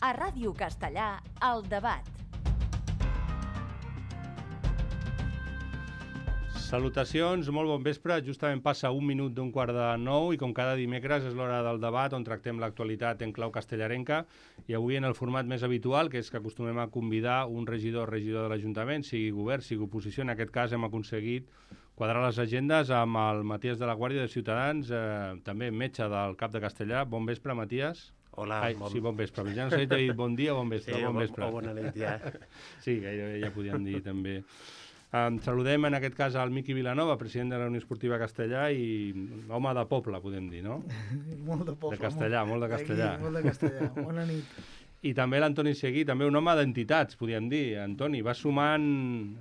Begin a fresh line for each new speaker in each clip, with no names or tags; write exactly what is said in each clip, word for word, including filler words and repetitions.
A Ràdio Castellà, El Debat.
Salutacions, molt bon vespre. Justament passa un minut d'un quart de nou i com cada dimecres és l'hora del debat on tractem l'actualitat en clau castellarenca i avui en el format més habitual, que és que acostumem a convidar un regidor o regidor de l'Ajuntament, sigui govern, sigui oposició. En aquest cas hem aconseguit quadrar les agendes amb el Matías de la Guàrdia de Ciutadans, eh, també metge del Cap de Castellà. Bon vespre, Matías.
Hola.
Ai, bon... Sí, bon vespre. Ja no sé si t'he dit bon dia o bon vespre.
Sí,
bon vespre.
O bona nit, ja.
Sí, gairebé ja podíem dir també. Um, saludem en aquest cas al Miqui Vilanova, president de la Unió Esportiva Castellà i home de poble, podem dir, no?
Molt de poble.
De castellà, molt, molt de castellà.
Aquí, molt de castellà. Bona nit.
I també l'Antoni Seguí, també un home d'entitats, podríem dir. Antoni, vas sumant,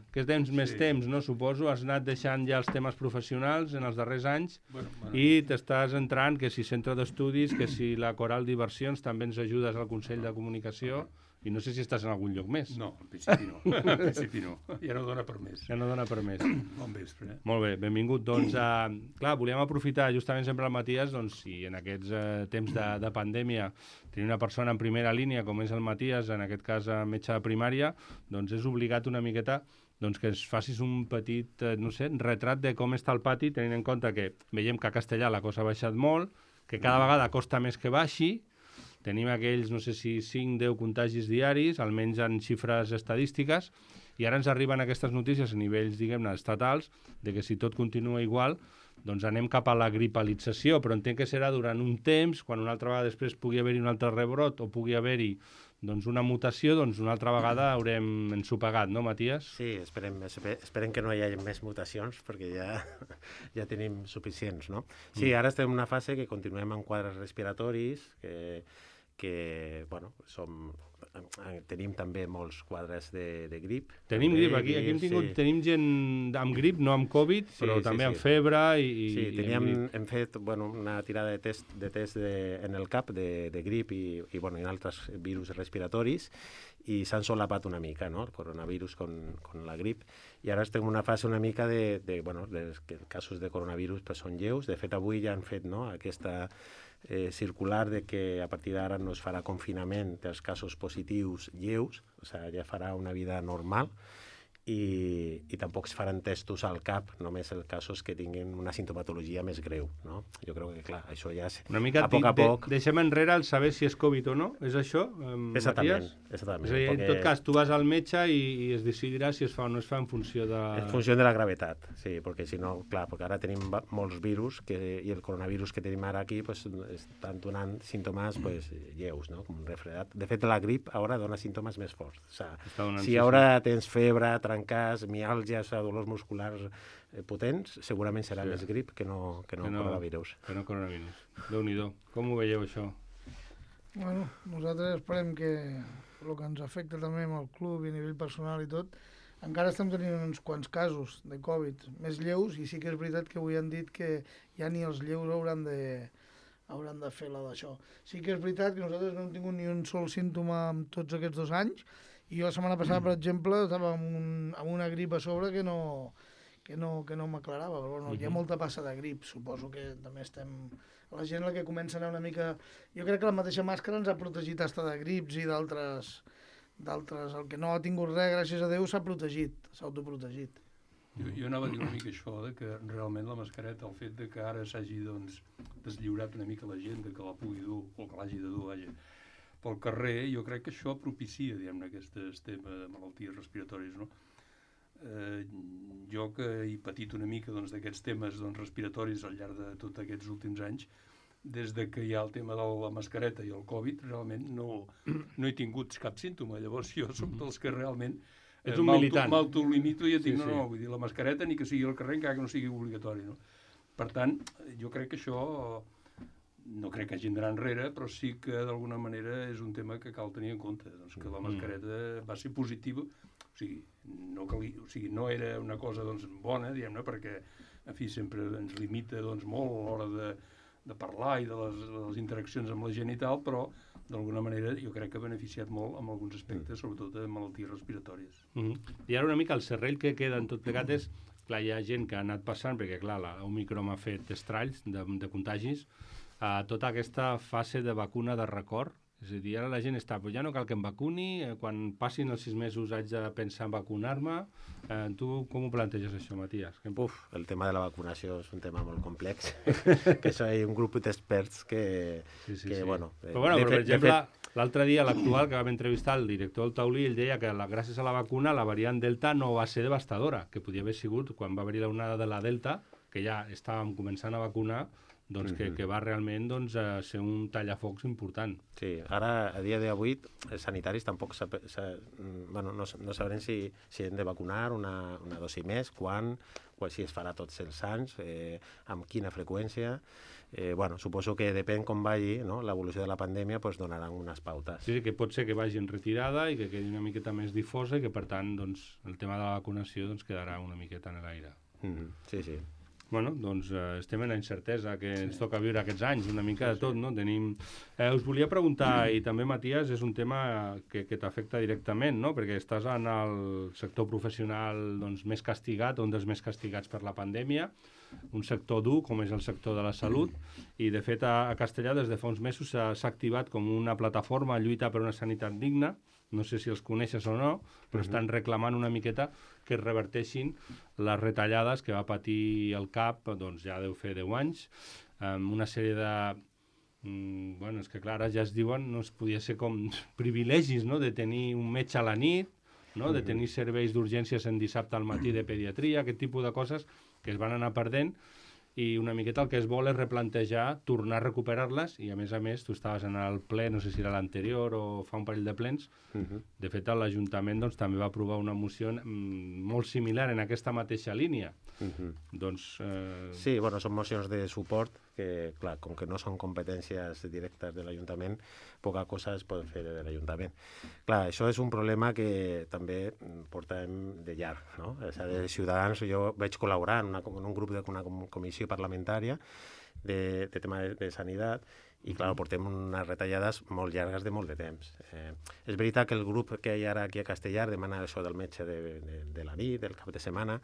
que és temps més
Sí.
temps, no? Suposo, has anat deixant ja els temes professionals en els darrers anys
Bueno, bueno.
i t'estàs entrant, que si centre d'estudis, que si la Coral Diversions, també ens ajudes al Consell de Comunicació i no sé si estàs en algun lloc més.
No, en principi no. En principi no. Ja no dona per més.
Ja no dona per més.
Bon vespre. Eh?
Molt bé, benvingut. Doncs, uh, clar, volíem aprofitar justament sempre el Matías, doncs, si en aquests uh, temps de, de pandèmia tenir una persona en primera línia, com és el Matías, en aquest cas uh, metge de primària, doncs és obligat una miqueta doncs, que ens facis un petit, uh, no sé, retrat de com està el pati, tenint en compte que veiem que a Castellà la cosa ha baixat molt, que cada vegada costa més que baixi. Tenim aquells, no sé si cinc deu contagis diaris, almenys en xifres estadístiques, i ara ens arriben aquestes notícies a nivells, diguem-ne, estatals, de que si tot continua igual, doncs anem cap a la gripalització, però entenc que serà durant un temps, quan una altra vegada després pugui haver-hi un altre rebrot o pugui haver-hi doncs, una mutació, doncs una altra vegada haurem ensopegat, no, Matías?
Sí, esperem, esperem que no hi hagi més mutacions, perquè ja, ja tenim suficients, no? Sí, ara estem en una fase que continuem amb quadres respiratoris, que, que bueno, som... tenim també molts quadres de, de grip.
Tenim
també,
grip, aquí, aquí hem tingut,
sí.
tenim gent amb grip, no amb Covid,
Sí,
però
sí,
també
sí.
amb febre i...
Sí,
i
teníem,
amb grip.
hem fet bueno, una tirada de test, de test de, en el cap de, de grip i, i, bueno, i altres virus respiratoris i s'han solapat una mica, no?, el coronavirus con, con la grip. I ara estem en una fase una mica de, de bueno, els casos de coronavirus pues, són lleus. De fet, avui ja han fet, no?, aquesta eh, circular de que a partir d'ara no es farà confinament dels casos positius lleus, o sigui, ja farà una vida normal. I, i tampoc es faran testos al cap, només en casos que tinguin una sintomatologia més greu, no? Jo crec que, clar, això ja... És,
Una mica
a poc a
de,
poc...
deixem enrere el saber si és Covid o no, és això, eh,
Exactament,
Matías?
exactament.
És a dir, en
perquè
tot cas, tu vas al metge i, i es decidirà si es fa o no es fa en funció de...
En funció de la gravetat, sí, perquè si no, clar, perquè ara tenim va- molts virus que, i el coronavirus que tenim ara aquí pues, estan donant símptomes pues, lleus, no?, com un refredat. De fet, la grip ara dona símptomes més forts. O
Està
sigui,
donant,
si
sí,
ara tens febre, trencars, miàlgies, o dolors musculars eh, potents, segurament serà
Sí.
més grip que no, que no,
Que no-
coronavirus.
Que no coronavirus. Déu-n'hi-do. Com ho veieu, això?
Bueno, nosaltres esperem que el que ens afecta també amb el club i a nivell personal i tot, encara estem tenint uns quants casos de Covid més lleus i sí que és veritat que avui han dit que ja ni els lleus hauran de, hauran de fer la d'això. Sí que és veritat que nosaltres no hem tingut ni un sol símptoma en tots aquests dos anys i jo la setmana passada, per exemple, estava amb, un, amb una grip a sobre que no, que no, que no m'aclarava, però bueno, hi ha molta passa de grip, suposo que també estem... La gent la que comença a anar una mica... Jo crec que la mateixa màscara ens ha protegit hasta de grips i d'altres... d'altres. El que no ha tingut res, gràcies a Déu, s'ha protegit, s'ha autoprotegit.
Jo, jo anava a dir una mica això, de que realment la mascareta, el fet de que ara s'hagi doncs, deslliurat una mica la gent, de que la pugui dur, o que l'hagi de dur, vaja, pel carrer, jo crec que això propicia, diguem-ne, aquestes temes de malalties respiratòries, no? Eh, jo que he patit una mica doncs, d'aquests temes doncs, respiratoris al llarg de tots aquests últims anys, des de que hi ha el tema de la mascareta i el Covid, realment no, no he tingut cap símptoma. Llavors jo soc dels que realment
Ets
eh,
un
m'auto-
militant.
m'autolimito i et dic,
Sí,
no,
sí.
no, vull dir, la mascareta ni que sigui al carrer encara que no sigui obligatori, no? Per tant, jo crec que això no crec que hagin d'anar enrere, però sí que d'alguna manera és un tema que cal tenir en compte, doncs que la mascareta va ser positiva, o sigui, no, cali, o sigui, no era una cosa doncs, bona, diguem-ne, perquè en fi, sempre ens limita doncs, molt a l'hora de, de parlar i de les, de les interaccions amb la gent i tal, però d'alguna manera jo crec que ha beneficiat molt en alguns aspectes, sobretot de malalties respiratòries.
Mm -hmm. I ara una mica el serrell que queda en tot plegat és, clar, hi ha gent que ha anat passant, perquè clar, la Omicron ha fet estralls de, de contagis, a tota aquesta fase de vacuna de record, És a dir, ara la gent està, però ja no cal que em vacuni, eh, quan passin els sis mesos haig de pensar en vacunar-me. Eh, tu com ho planteges això, Matías? Que...
Uf, el tema de la vacunació és un tema molt complex, que això hi ha un grup d'experts que,
sí, sí,
que
sí.
bueno...
Però, bueno, però per
fet,
exemple,
fet...
l'altre dia, l'actual, que vam entrevistar el director del Taulí, ell deia que la, gràcies a la vacuna la variant Delta no va ser devastadora, que podia haver sigut, quan va haver-hi la onada de la Delta, que ja estàvem començant a vacunar, doncs que, que va realment doncs, a ser un tallafocs important.
Sí, ara, a dia d'avui, els sanitaris tampoc sap, sa, bueno, no, no sabrem si, si hem de vacunar una, una dosi més, quan, o si es farà tots els anys, eh, amb quina freqüència. Eh, bueno, suposo que depèn com vagi, no? L'evolució de la pandèmia, pues, donaran unes pautes.
Sí, sí, que pot ser que vagi en retirada i que quedi una miqueta més difosa i que, per tant, doncs, el tema de la vacunació doncs, quedarà una miqueta en l'aire.
Mm-hmm. Sí, sí.
Bueno, doncs eh, estem en la incertesa que sí. ens toca viure aquests anys, una mica de tot, no? Tenim... Eh, us volia preguntar, i també, Matías, és un tema que, que t'afecta directament, no? Perquè estàs en el sector professional doncs, més castigat, un dels més castigats per la pandèmia, un sector dur, com és el sector de la salut, i, de fet, a, a Castellà, des de fa uns mesos, s'ha activat com una plataforma a lluita per una sanitat digna. No sé si els coneixes o no, però estan reclamant una miqueta que es reverteixin les retallades que va patir el C A P, doncs ja deu fer deu anys, amb una sèrie de... Mm, bueno, és que clar, ara ja es diuen, no es podia ser com privilegis, no?, de tenir un metge a la nit, no?, de tenir serveis d'urgències en dissabte al matí de pediatria, aquest tipus de coses que es van anar perdent, i una miqueta el que es vol és replantejar, tornar a recuperar-les, i a més a més tu estaves en el ple, no sé si era l'anterior o fa un parell de plens, uh-huh. De fet l'Ajuntament doncs, també va aprovar una moció mm, molt similar en aquesta mateixa línia. Uh-huh. Doncs, eh...
Sí, bueno, són mocions de suport que, clar, com que no són competències directes de l'Ajuntament, poca cosa es pot fer de l'Ajuntament. Clar, això és un problema que també portem de llarg, no? O sigui, de Ciutadans, jo vaig col·laborar en, una, en un grup d'una comissió parlamentària de, de tema de, de sanitat, i clar, portem unes retallades molt llargues de molt de temps. Eh, és veritat que el grup que hi ha ara aquí a Castellar demana això del metge de, de, de la nit, del cap de setmana.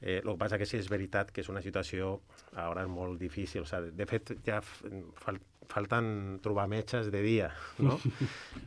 Eh, el que passa que sí, és veritat que és una situació ara molt difícil. O sigui, de fet, ja fal, falten trobar metges de dia, no?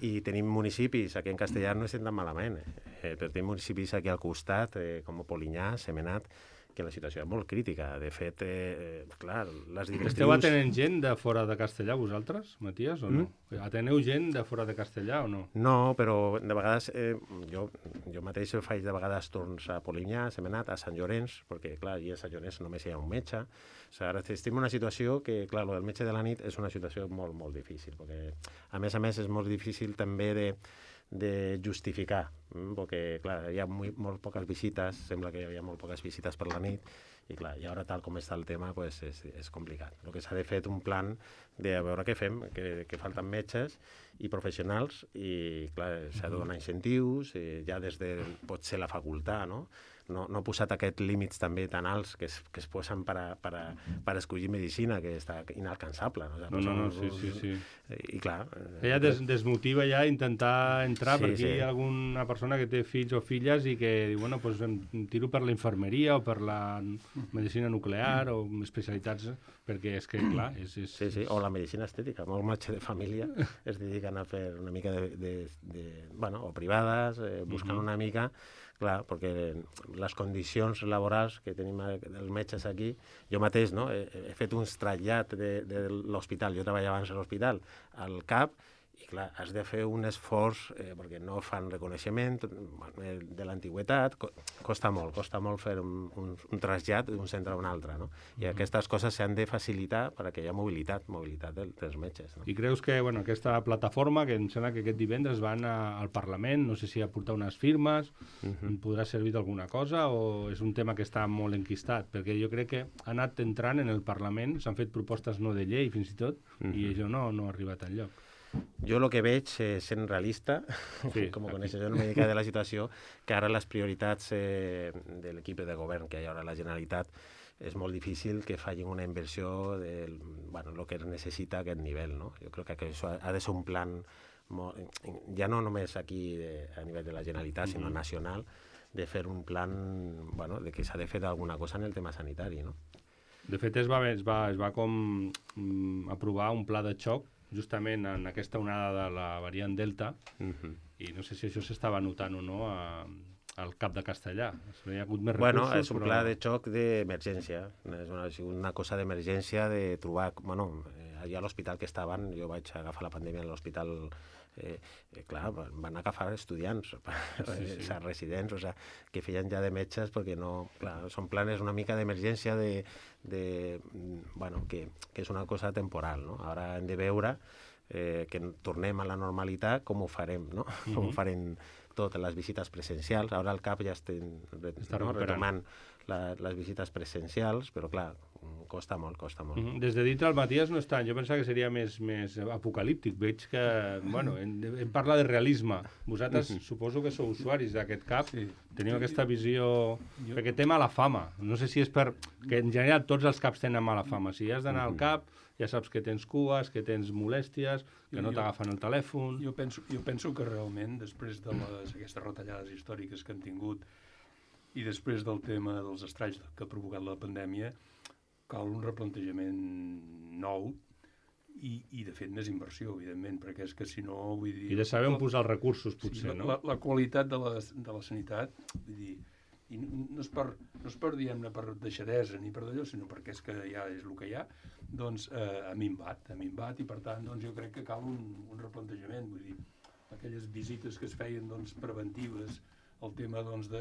I tenim municipis, aquí en Castellar no estem tan malament, eh, però tenim municipis aquí al costat, eh, com Polinyà, Semenat, que la situació és molt crítica. De fet, eh, clar, les directrius...
Esteu atenent gent de fora de Castellà, vosaltres, Matías, o no? Mm? Ateneu gent de fora de Castellà o no?
No, però de vegades, eh, jo, jo mateix faig de vegades torns a Polinyà, a Semenat, a Sant Llorenç, perquè, clar, allà a Sant Llorenç només hi ha un metge. O sigui, ara estem en una situació que, clar, el del metge de la nit és una situació molt, molt difícil, perquè, a més a més, és molt difícil també de de justificar, perquè clar, hi ha molt, molt poques visites, sembla que hi ha molt poques visites per la nit, i clar, i ara tal com està el tema pues, és, és complicat. El que s'ha de fer un plan de veure què fem, que, que falten metges i professionals, i clar, s'ha de donar incentius, eh, ja des de potser la facultat, no? No, no ha posat aquests límits també tan alts que es, que es posen per, a, per, a, per a escollir medicina, que està inalcançable. No,
no, no, no sí, sí, sí.
I clar...
Que ja des, desmotiva ja intentar entrar,
sí,
perquè
sí.
hi ha alguna persona que té fills o filles i que diu, bueno, pues em tiro per la infermeria o per la medicina nuclear o especialitats, perquè és que, clar... És, és...
Sí, sí, o la medicina estètica. Molt metge de família es dediquen a fer una mica de... de, de bueno, o privades, eh, buscant uh-huh. una mica... Clar, perquè les condicions laborals que tenim els metges aquí, jo mateix no, he, he fet un trasllat de, de l'hospital, jo treballava abans a l'hospital, al C A P, i clar, has de fer un esforç, eh, perquè no fan reconeixement de l'antigüetat, costa molt, costa molt fer un, un, un trasllat d'un centre a un altre, no? I mm-hmm. aquestes coses s'han de facilitar perquè hi ha mobilitat, mobilitat del, dels metges. No?
I creus que bueno, aquesta plataforma, que em sembla que aquest divendres van a, al Parlament, no sé si a portar unes firmes, mm-hmm. podrà servir d'alguna cosa o és un tema que està molt enquistat? Perquè jo crec que ha anat entrant en el Parlament, s'han fet propostes no de llei fins i tot, mm-hmm. i això no, no ha arribat enlloc.
Jo el que veig, eh, sent realista,
sí,
com coneixes una mica de la situació, que ara les prioritats eh, de l'equip de govern que hi ha ara a la Generalitat és molt difícil que facin una inversió del bueno, lo que es necessita a aquest nivell. No? Jo crec que això ha de ser un plan, molt, ja no només aquí de, a nivell de la Generalitat, sinó nacional, de fer un plan bueno, de que s'ha de fer alguna cosa en el tema sanitari. No?
De fet, es va, es va, es va com mm, aprovar un pla de xoc justament en aquesta onada de la variant Delta,
Mhm.
i no sé si això s'estava notant o no a, al cap de Castellà. Hi ha hagut més
Bueno,
recursos,
és un
però...
pla de xoc d'emergència. És una, una cosa d'emergència de trobar... Bueno, eh, allà a l'hospital que estaven, jo vaig agafar la pandèmia a l'hospital, eh, eh, clar, van agafar estudiants, sí, sí. O residents, o sea, que feien ja de metges, perquè no... Clar, són planes una mica d'emergència de, de... Bueno, que, que és una cosa temporal, no? Ara hem de veure eh, que tornem a la normalitat, com ho farem, no? Mm-hmm. Com ho farem totes les visites presencials. Ara al CAP ja estem
Està
no?
recuperant
retomant la, les visites presencials, però clar, costa molt, costa molt.
Mm-hmm. Des de dintre el Matías no està. Jo pensava que seria més, més apocalíptic. Veig que, bueno, em, em parla de realisme. Vosaltres
Mm-hmm.
suposo que sou usuaris d'aquest CAP.
Sí.
Teniu aquesta visió...
Jo-
Perquè té mala fama. No sé si és per... Que en general tots els CAPs tenen mala fama. Si has d'anar al CAP, ja saps que tens cues, que tens molèsties, que no
Jo-
t'agafen el telèfon...
Jo penso, jo penso que realment, després de les, aquestes retallades històriques que han tingut i després del tema dels estralls que ha provocat la pandèmia, cal un replantejament nou i, i de fet, més inversió, evidentment, perquè és que si no, vull dir...
I de saber on
la-
posar els recursos, potser,
sí,
no?
La, la qualitat de la, de la sanitat, vull dir, i no és per, no és per diguem-ne, per deixadesa ni per d'allò, sinó perquè és que ja és el que hi ha, doncs eh, ha minvat, ha minvat, i per tant, doncs jo crec que cal un, un replantejament, vull dir, aquelles visites que es feien, doncs, preventives, el tema, doncs, de,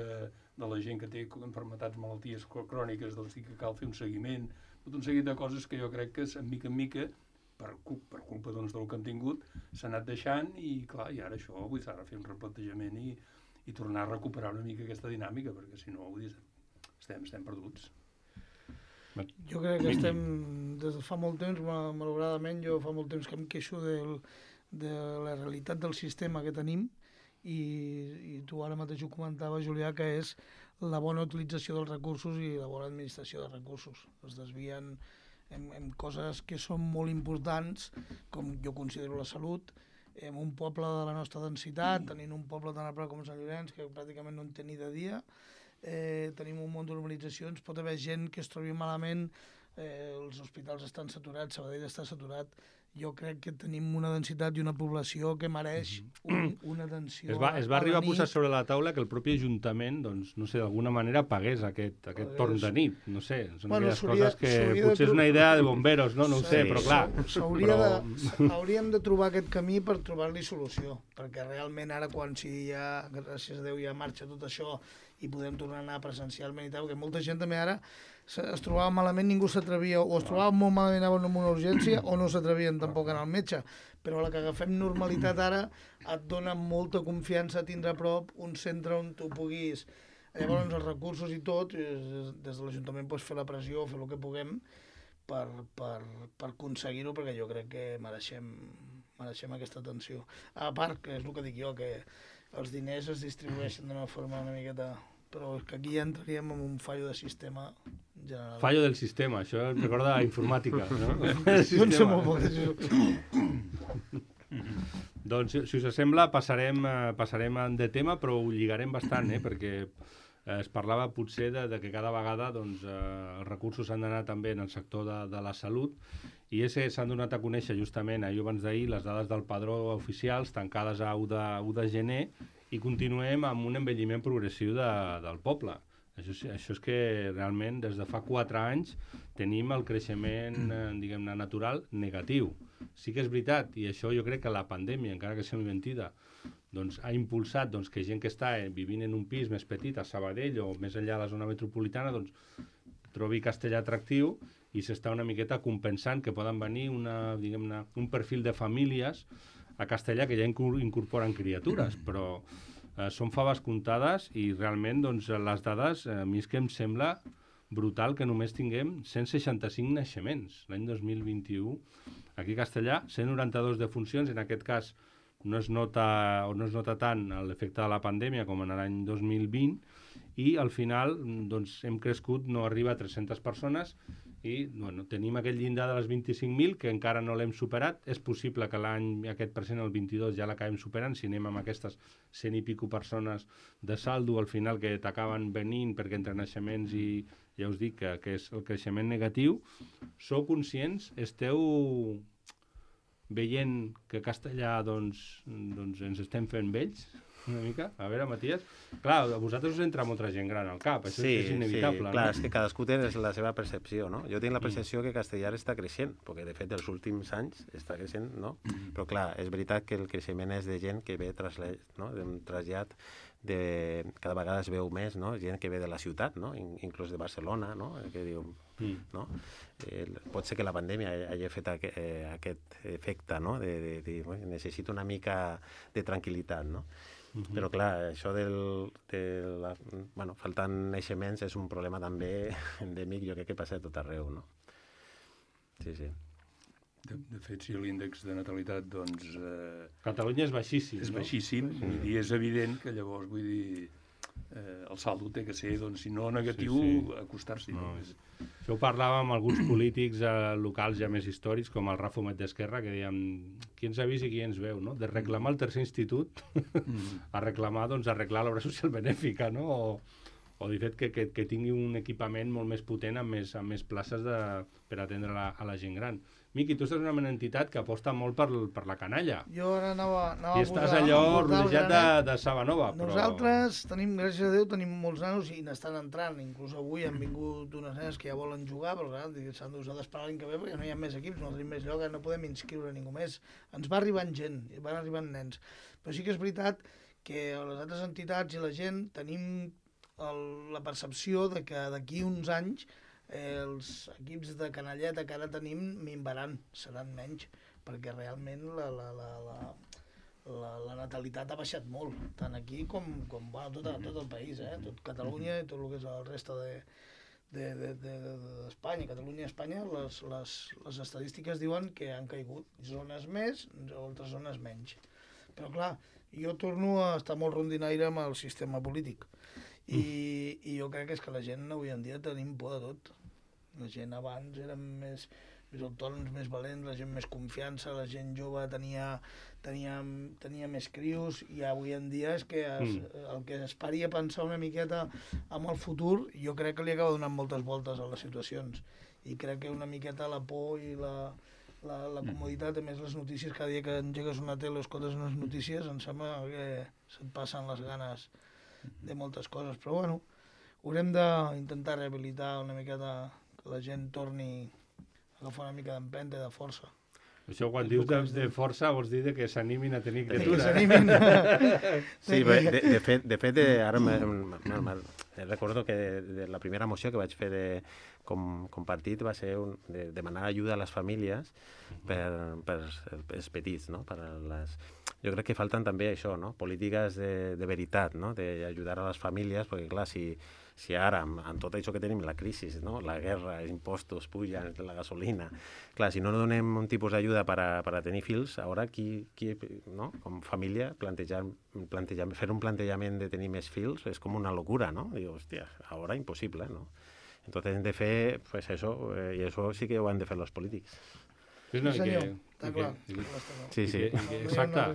de la gent que té enfermetats, malalties cròniques, doncs, sí que cal fer un seguiment, tot un seguit de coses que jo crec que, en mica en mica, per, cu- per culpa, doncs, del que han tingut, s'ha anat deixant, i, clar, i ara això, vull dir, s'ha de fer un replantejament i, i tornar a recuperar una mica aquesta dinàmica, perquè si no, vull dir, estem, estem perduts.
Jo crec que estem, des de fa molt temps, ma- malauradament, jo fa molt temps que em queixo del, de la realitat del sistema que tenim i, i tu ara mateix ho comentava, Julià, que és la bona utilització dels recursos i la bona administració dels recursos. Es desvien en, en coses que són molt importants, com jo considero la salut, en un poble de la nostra densitat, tenint un poble tan a prop com Sant Llorenç, que pràcticament no en té ni de dia, eh, tenim un munt d'urbanitzacions, pot haver gent que es trobi malament, eh, els hospitals estan saturats, Sabadell està saturat, jo crec que tenim una densitat i una població que mereix un, una atenció.
Es va, es va
a la
arribar a posar
nit.
sobre la taula que el propi Ajuntament, doncs, no sé, d'alguna manera pagués aquest, aquest
Pagués.
torn de nit. No sé, són
Bueno,
aquelles
s'hauria-
coses que
s'hauria de
potser és
tro-
una idea de bomberos, no? No ho sé,
Sí.
però clar...
S'hauria
però...
de, hauríem de trobar aquest camí per trobar-li solució, perquè realment ara quan si ja, gràcies a Déu, ja marxa tot això i podem tornar a anar presencialment i tal, perquè molta gent també ara se- es trobava malament, ningú s'atrevia, o es trobava molt malament, anaven amb una urgència, o no s'atrevien tampoc a anar al metge. Però la que agafem normalitat ara et dona molta confiança a tindre a prop un centre on tu puguis... Llavors els recursos i tot, eh, des de l'Ajuntament pots fer la pressió, fer el que puguem per, per, per aconseguir-ho, perquè jo crec que mereixem, mereixem aquesta atenció. A part, que és el que dic jo, que els diners es distribueixen d'una forma una miqueta... Però és que aquí ja entraríem en un fallo de sistema general.
Fallo del sistema, això em recorda a informàtica, no?
Jo en sé molt poc d'això.
Doncs, si- si us sembla, passarem, eh, passarem de tema, però ho lligarem bastant, eh? Perquè eh, es parlava potser de, de que cada vegada doncs, eh, els recursos s'han d'anar també en el sector de, de la salut, i és que s'han donat a conèixer justament ahir abans d'ahir les dades del padró oficials tancades a u de, u de gener, i continuem amb un envelliment progressiu de, del poble. Això, sí- això és que realment des de fa quatre anys tenim el creixement eh, diguem-ne natural negatiu. Sí que és veritat, i això jo crec que la pandèmia, encara que sigui mentida, doncs, ha impulsat doncs, que gent que està eh, vivint en un pis més petit a Sabadell o més enllà de la zona metropolitana doncs, trobi Castellà atractiu, i s'està una miqueta compensant que poden venir una, diguem-ne, un perfil de famílies a Castellà que ja incor- incorporen criatures, però eh, són faves comptades, i realment doncs, les dades, eh, a mi és que em sembla brutal que només tinguem cent seixanta-cinc naixements l'any dos mil vint-i-u aquí a Castellà, cent noranta-dos defuncions, en aquest cas no es nota, o no es nota tant l'efecte de la pandèmia com en l'any dos mil vint, i al final doncs, hem crescut, no arriba a tres-centes persones, i bueno, tenim aquell llindar de les vint-i-cinc mil que encara no l'hem superat. És possible que l'any aquest present, el vint-i-dos, ja l'acabem superant, si anem amb aquestes cent i pico persones de saldo al final que t'acaben venint, perquè entre naixements i ja us dic que, que és el creixement negatiu. Sou conscients? Esteu veient que castellà doncs, doncs ens estem fent vells, una mica? A veure, Matías, clar, a vosaltres us entra molta gent gran al cap, això
sí,
és inevitable.
Sí,
no?
clar, és que cadascú té la seva percepció, no? Jo tinc la percepció que castellà està creixent, perquè de fet els últims anys està creixent, no? Però clar, és veritat que el creixement és de gent que ve trasllat, no? d'un trasllat de... cada vegada es veu més, no? Gent que ve de la ciutat, no? In inclús de Barcelona, no? Que diu, mm. no? Eh, pot ser que la pandèmia hagi fet aqu eh, aquest efecte, no? De, de, de, de necessito una mica de tranquil·litat, no? Uh-huh. Però clar, això del, de la, bueno, faltant naixements és un problema també endèmic, jo crec que passa a tot arreu, no? Sí, sí.
De, de fet, si l'índex de natalitat, doncs... Eh,
Catalunya és baixíssim,
és
no?
baixíssim, sí. Vull dir, és evident que llavors, vull dir, eh, el saldo té que ser, doncs, si no negatiu, sí, sí. acostar-s'hi.
No, és... Això ho parlàvem amb alguns polítics eh, locals ja més històrics, com el Rafa Homet d'Esquerra, que dèiem, qui ens ha vist i qui ens veu, no? De reclamar el tercer institut mm. a reclamar, doncs, arreglar l'obra social benèfica, no? O, o de fet que, que, que tingui un equipament molt més potent amb més, amb més places de, per atendre la, a la gent gran. Miqui, tu estàs en una entitat que aposta molt per, per la canalla.
Jo ara anava, anava
I estàs allò rodejat de, de saba nova. Però...
Nosaltres tenim, gràcies a Déu, tenim molts nanos i n'estan entrant. Inclús avui han vingut unes nenes que ja volen jugar, però clar, s'han d'esperar l'any que ve perquè no hi ha més equips, no tenim més lloc, no podem inscriure ningú més. Ens va arribant gent, van arribant nens. Però sí que és veritat que les altres entitats i la gent tenim el, la percepció de que d'aquí uns anys Eh, els equips de canalleta que ara tenim minvaran, seran menys, perquè realment la, la, la, la, la, la natalitat ha baixat molt, tant aquí com, com bueno, tot, tot el país, eh? Tot Catalunya i tot el que és el reste de, de, de, de, d'Espanya. Catalunya i Espanya, les, les, les estadístiques diuen que han caigut zones més, altres zones menys. Però clar, jo torno a estar molt rondinaire amb el sistema polític. I, i jo crec que és que la gent avui en dia tenim por de tot. La gent abans eren més, més autònoms, més valents, la gent més confiança, la gent jove tenia, tenia, tenia més crios, i avui en dia és que es, mm. el que es paria a pensar una miqueta amb el futur, jo crec que li acaba donant moltes voltes a les situacions. I crec que una miqueta la por i la, la, la comoditat, a més les notícies, cada dia que engegues una tele o escoltes unes notícies, em sembla que se't passen les ganes de moltes coses, però bueno, haurem d'intentar rehabilitar una miqueta, que la gent torni a agafar una mica d'empenta i de força.
Això quan dius de, de força vols dir que s'animin a tenir criatura.
Que s'animin.
Sí, de, de fet, de fet ara me, me, me, recordo que de, de la primera moció que vaig fer de, com, com partit va ser un, de demanar ajuda a les famílies per, per els petits, no? Per les... Jo crec que falten també això, no? Polítiques de, de veritat, no? D'ajudar a les famílies, perquè clar, si, si ara, amb, amb tot això que tenim, la crisi, no? La guerra, els impostos pugen, la gasolina, clar, si no donem un tipus d'ajuda per, a, per a tenir fills, ara qui, qui no? Com família, plantejar, plantejar, fer un plantejament de tenir més fills és com una locura, no? Diu, hòstia, ara impossible, no? Entonces hem de fer, pues eso, eh, i això sí que ho han de fer els polítics.
Sí, no,
sí senyor,
que,
està
que,
clar.
Que,
sí, sí.
Que, que, exacte,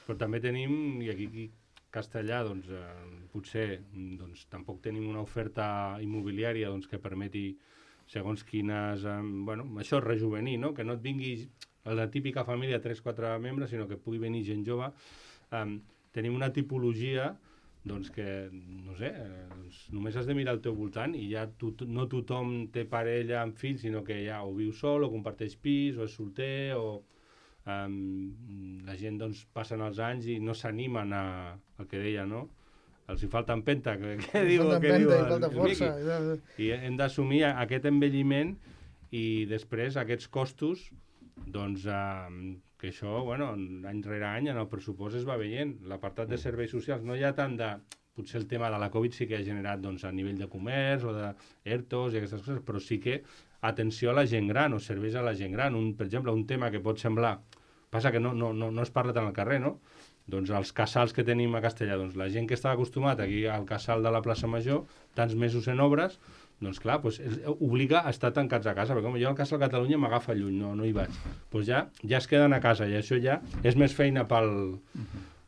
però també tenim, i aquí castellà, doncs, eh, potser doncs, tampoc tenim una oferta immobiliària doncs, que permeti, segons quines, eh, bueno, això és rejuvenir, no? Que no et vingui la típica família de tres o quatre membres, sinó que pugui venir gent jove. Eh, tenim una tipologia doncs que, no sé, eh, doncs només has de mirar al teu voltant i ja tu, no tothom té parella amb fills, sinó que ja o viu sol, o comparteix pis, o és solter, o um, la gent doncs passen els anys i no s'animen a, al que deia, no? Els hi falta empenta, que, que diu, que diu el,
falta força.
el I hem d'assumir aquest envelliment i després aquests costos, doncs, eh, que això, bueno, any rere any en el pressupost es va veient. L'apartat de serveis socials no hi ha tant de... Potser el tema de la Covid sí que ha generat doncs, a nivell de comerç o de ERTOs i aquestes coses, però sí que atenció a la gent gran o serveis a la gent gran. Un, per exemple, un tema que pot semblar... Passa que no, no, no, no es parla tant al carrer, no? Doncs els casals que tenim a Castellà, doncs la gent que estava acostumat aquí al casal de la plaça Major, tants mesos en obres, doncs clar, doncs, obliga a estar tancats a casa, perquè com jo al casal Catalunya m'agafa lluny, no, no hi vaig. Doncs ja, ja es queden a casa i això ja és més feina pel,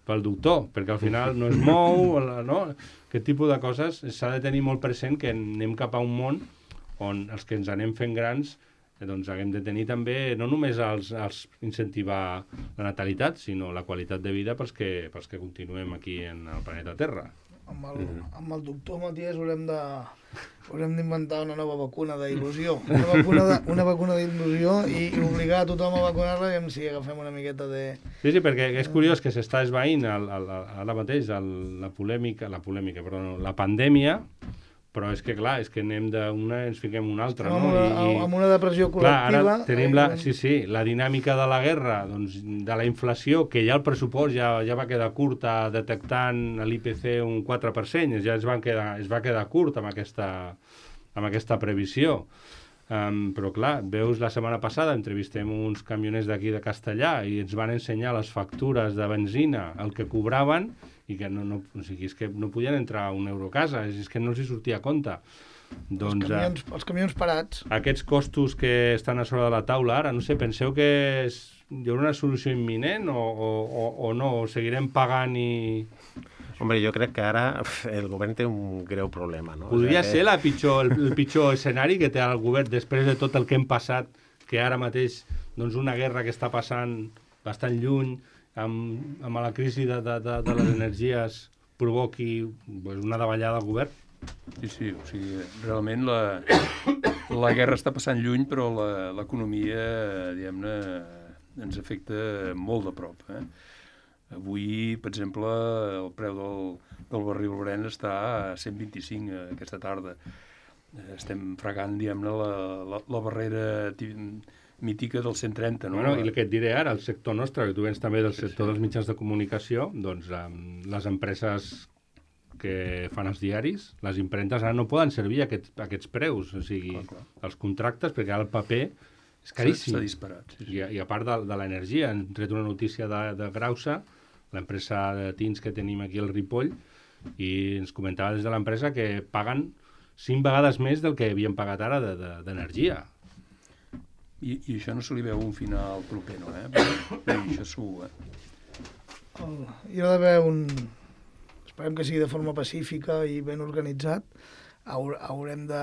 pel doctor, perquè al final no es mou, no? Aquest tipus de coses s'ha de tenir molt present que anem cap a un món on els que ens anem fent grans doncs haguem de tenir també, no només els, els incentivar la natalitat, sinó la qualitat de vida pels que, pels que continuem aquí en el planeta Terra.
Amb el, amb el doctor Matías haurem de haurem d'inventar una nova vacuna d'il·lusió, una vacuna de, una vacuna d'il·lusió i, i obligar a tothom a vacunar-la i si agafem una miqueta de...
Sí, sí, perquè és curiós que s'està esvaint el, el, el, ara mateix el, la polèmica, la polèmica, perdó, la pandèmia, però és que, clar, és que anem d'una i ens fiquem una altra,
no?
Amb una,
I, amb una depressió col·lectiva...
Clar, ara tenim la, sí, sí, la dinàmica de la guerra, doncs, de la inflació, que ja el pressupost ja, ja va quedar curt a detectant a l'I P C un quatre per cent, ja es, van quedar, es va quedar curt amb aquesta, amb aquesta previsió. Um, però, clar, veus, la setmana passada entrevistem uns camioners d'aquí de Castellà i ens van ensenyar les factures de benzina, el que cobraven, i que no, no, o sigui, és que no podien entrar a un euro a casa, és que no els hi sortia a compte. Doncs,
els, camions,
eh,
els camions parats.
Aquests costos que estan a sobre de la taula ara, no sé, penseu que és, hi haurà una solució imminent o, o, o, o no? O seguirem pagant i...
Hombre, jo crec que ara el govern té un greu problema, no?
Podria
o sigui,
ser
que...
la pitjor, el, el pitjor escenari que té el govern després de tot el que hem passat, que ara mateix doncs, una guerra que està passant bastant lluny, amb, amb la crisi de, de, de, de les energies provoqui pues, una davallada al govern?
Sí, sí, o sigui, realment la, la guerra està passant lluny, però l'economia, diguem-ne, ens afecta molt de prop. Eh? Avui, per exemple, el preu del, del barril Brent està a cent vint-i-cinc aquesta tarda. Estem fregant, diguem-ne, la, la, la barrera mítica del cent trenta, no?
Bueno, i el que et diré ara, el sector nostre, que tu vens també del sector sí, sí. dels mitjans de comunicació, doncs um, les empreses que fan els diaris, les impremtes ara no poden servir aquests, aquests preus, o sigui, clar, clar. Els contractes, perquè ara el paper és caríssim.
S'ha disparat. Sí, sí.
I, I a part de, de l'energia, hem tret una notícia de, de Grausa, l'empresa de tints que tenim aquí al Ripoll, i ens comentava des de l'empresa que paguen cinc vegades més del que havien pagat ara d'energia. De, de,
I, I això no se li veu un final proper, no? Eh? Però, bé, això segur, eh?
El, hi ha d'haver un... Esperem que sigui de forma pacífica i ben organitzat. Haur, haurem de...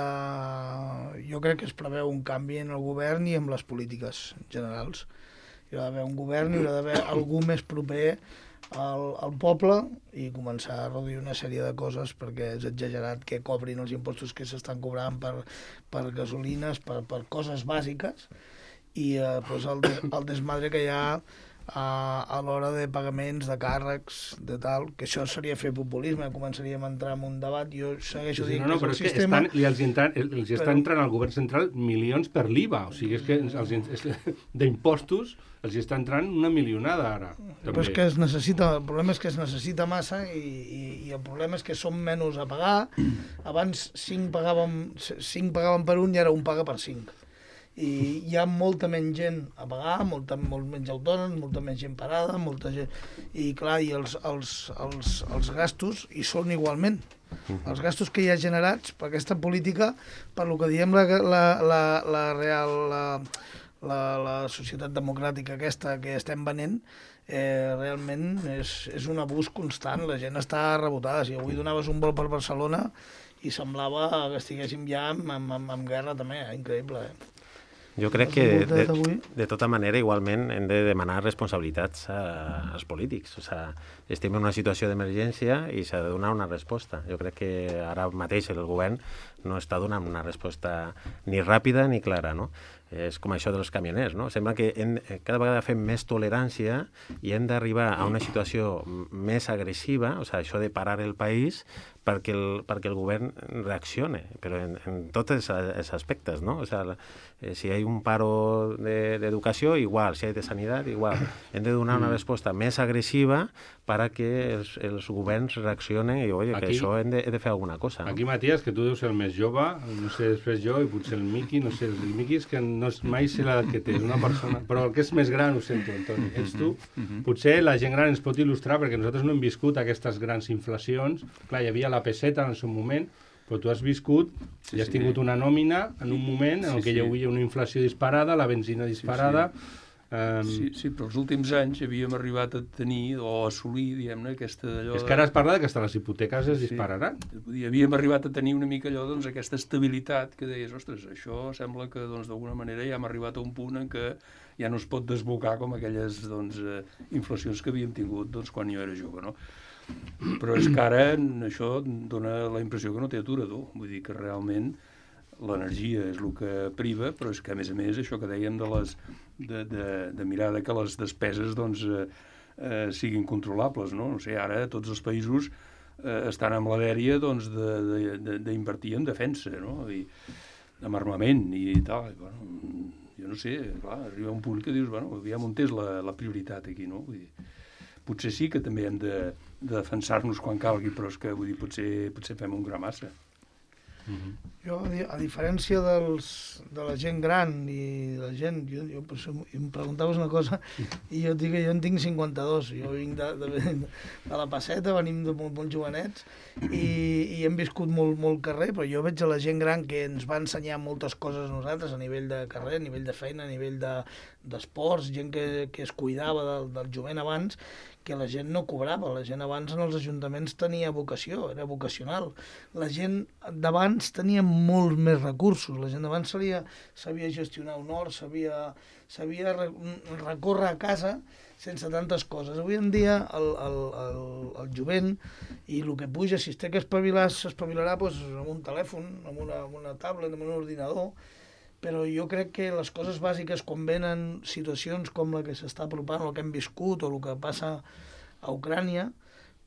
Jo crec que es preveu un canvi en el govern i en les polítiques generals. Hi ha d'haver un govern, hi ha d'haver algú més proper al, al poble i començar a reduir una sèrie de coses perquè és exagerat que cobrin els impostos que s'estan cobrant per, per gasolines, per, per coses bàsiques i eh, pues el, de, el desmadre que hi ha a, a l'hora de pagaments, de càrrecs, de tal, que això seria fer populisme, començaríem a entrar en un debat, jo segueixo
sí,
dient
no, no,
que
però
és
és
el sistema...
Que estan, els, entran, els està però... entrant al govern central milions per l'I V A, o sigui, és que els, d'impostos els està entrant una milionada ara. També.
Però és que es necessita, el problema és que es necessita massa i, i, i el problema és que som menys a pagar. Abans cinc pagàvem, cinc pagaven per un i ara un paga per cinc. I hi ha molta menys gent a pagar, molta, molt menys autònoms, molta menys gent parada, molta gent... I clar, i els, els, els, els gastos hi són igualment. Els gastos que hi ha generats per aquesta política, per lo que diem la, la, la, la real... La, La, la societat democràtica aquesta que estem venent eh, realment és, és un abús constant, la gent està rebotada. Si avui donaves un vol per Barcelona i semblava que estiguéssim ja en, en, en, en guerra també, eh? Increïble. Eh?
Jo crec que de, de tota manera igualment hem de demanar responsabilitats a, als polítics. O sigui, estem en una situació d'emergència i s'ha de donar una resposta. Jo crec que ara mateix el govern no està donant una resposta ni ràpida ni clara, no? És com això dels camioners, no? Sembla que hem, cada vegada fem més tolerància i hem d'arribar a una situació més agressiva, o sigui, això de parar el país perquè el, perquè el govern reaccione, però en, en tots els, els aspectes, no? O sigui, eh, si hi ha un paro d'educació, de, igual, si hi ha de sanitat, igual. Hem de donar una resposta més agressiva perquè els, els governs reaccionen i, oi, que això hem de, hem de fer alguna cosa. No?
Aquí, Matías, que tu deus ser el més jove, no sé, després jo, i potser el Miqui, no sé, el Miqui és que no és, mai sé l'edat que té, una persona... Però el que és més gran ho sento, Antoni, ets tu. Potser la gent gran ens pot il·lustrar, perquè nosaltres no hem viscut aquestes grans inflacions. Clar, hi havia la peseta en el seu moment, però tu has viscut sí, i has tingut sí. una nòmina en un moment en sí, què hi havia una inflació disparada, la benzina disparada, sí, sí. Um...
Sí, sí, però els últims anys havíem arribat a tenir o a assolir, diguem-ne, aquesta allò...
És que ara es parla que hasta les hipoteques es dispararan.
Sí, havíem arribat a tenir una mica allò, doncs, aquesta estabilitat que deies, ostres, això sembla que, doncs, d'alguna manera ja hem arribat a un punt en què ja no es pot desbocar com aquelles, doncs, eh, inflacions que havíem tingut, doncs, quan jo era jove, no? Però és que ara això dona la impressió que no té aturador, vull dir que realment l'energia és el que priva, però és que, a més a més, això que dèiem de, les, de, de, de mirar de que les despeses doncs, eh, eh, siguin controlables, no? No sé, ara tots els països eh, estan amb la dèria doncs, d'invertir en defensa, no? I amb armament i tal. I, bueno, jo no sé, clar, arriba un punt que dius, bueno, aviam on és la, la prioritat aquí, no? Vull dir, potser sí que també hem de, de defensar-nos quan calgui, però és que, vull dir, potser, potser fem un gra massa.
Uh-huh. Jo, a diferència dels, de la gent gran i la gent, jo, jo em preguntaves una cosa i jo dic que jo en tinc cinquanta-dos, jo vinc de, de, de la Passeta, venim de molt, molt jovenets i, i hem viscut molt, molt carrer, però jo veig a la gent gran que ens va ensenyar moltes coses a nosaltres a nivell de carrer, a nivell de feina, a nivell d'esports, de, gent que, que es cuidava del, del jovent abans, que la gent no cobrava, la gent abans en els ajuntaments tenia vocació, era vocacional. La gent d'abans tenia molts més recursos, la gent d'abans sabia, sabia gestionar un hort, sabia, sabia recórrer a casa sense tantes coses. Avui en dia el, el, el, el jovent i el que puja, si es té que espavilar, s'espavilarà doncs, amb un telèfon, amb una, amb una tablet, amb un ordinador, però jo crec que les coses bàsiques, quan venen situacions com la que s'està apropant, el que hem viscut o el que passa a Ucrània,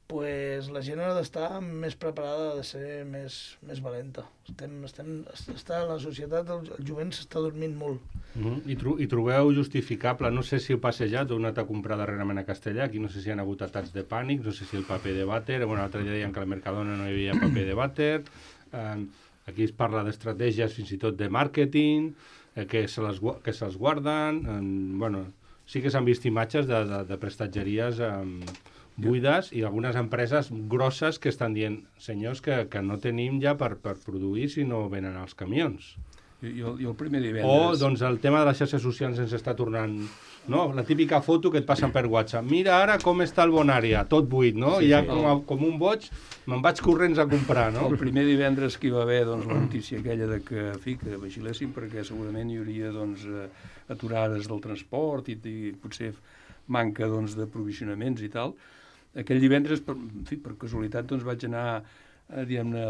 pues la gent ha d'estar més preparada, ha de ser més, més valenta. Estem, estem, està, la societat, el, el jovent s'està dormint molt.
Uh-huh. I, tro I trobeu justificable, no sé si heu passejat o heu anat a comprar darrerament a Castellà, aquí no sé si hi ha hagut atacs de pànic, no sé si el paper de vàter, bueno, l'altre dia deien que a la Mercadona no hi havia paper de vàter, eh, aquí es parla d'estratègies fins i tot de màrqueting, eh, que se les, que se'ls guarden. Eh, bueno, sí que s'han vist imatges de, de, de prestatgeries eh, buides i algunes empreses grosses que estan dient, senyors, que, que no tenim ja per, per produir si no venen els camions.
I, i, el, i el primer divendres...
O doncs, el tema de les xarxes socials ens està tornant... No? La típica foto que et passen per WhatsApp. Mira ara com està el Bonària, tot buit, no? Sí, I ja sí, com, a, com un boig me'n vaig corrents a comprar, no?
El primer divendres que hi va haver doncs, la notícia aquella de que, en fi, que vigilessin perquè segurament hi hauria doncs, aturades del transport i, i potser manca doncs, d'aprovisionaments i tal. Aquell divendres, per, en fi, per casualitat, doncs, vaig anar eh, diguem-ne,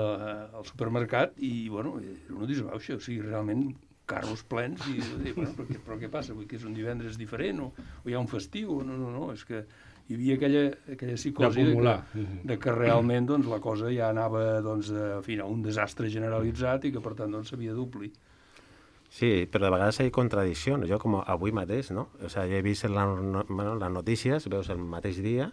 al supermercat i, bueno, era una disbauxa, o sigui, realment carros plens i, i bueno, però, què, però què passa? Vull que és un divendres diferent o, o hi ha un festiu? No, no, no, és que hi havia aquella, aquella psicosi de que, de que realment doncs, la cosa ja anava doncs, a, fi, a un desastre generalitzat i que per tant doncs, s'havia d'omplir.
Sí, però de vegades hi ha contradiccions. Jo com avui mateix, no? O sigui, he vist la, no, bueno, les notícies, veus el mateix dia,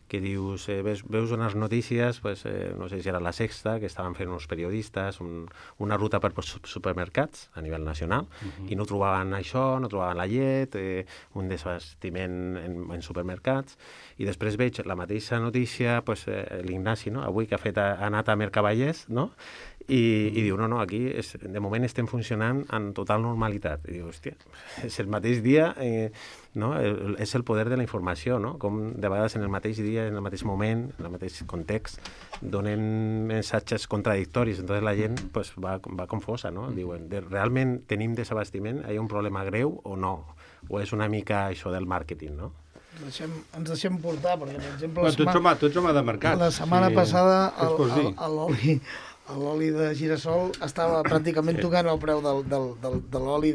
que dius, eh, veus, veus unes notícies, pues, eh, no sé si era La Sexta, que estaven fent uns periodistes, un, una ruta per supermercats a nivell nacional, uh-huh. i no trobaven això, no trobaven la llet, eh, un desbastiment en, en supermercats, i després veig la mateixa notícia, pues, eh, l'Ignasi, no? Avui que ha, fet, ha anat a Mercavallers, no? I, i diu, no, no, aquí és, de moment estem funcionant en total normalitat. I diu, hòstia, és el mateix dia, eh, no? El, és el poder de la informació, no? Com de vegades en el mateix dia, en el mateix moment, en el mateix context, donen missatges contradictoris, entonces la gent pues, va, va confosa, no? Diuen, de, realment tenim desabastiment, hi ha un problema greu o no? O és una mica això del màrqueting, no?
Deixem, ens deixem portar, perquè, per exemple...
Bueno, tu, ets home, tu ets home de mercat.
La setmana sí. passada l'oli l'oli de girassol estava pràcticament tocant el preu del, del, del, de l'oli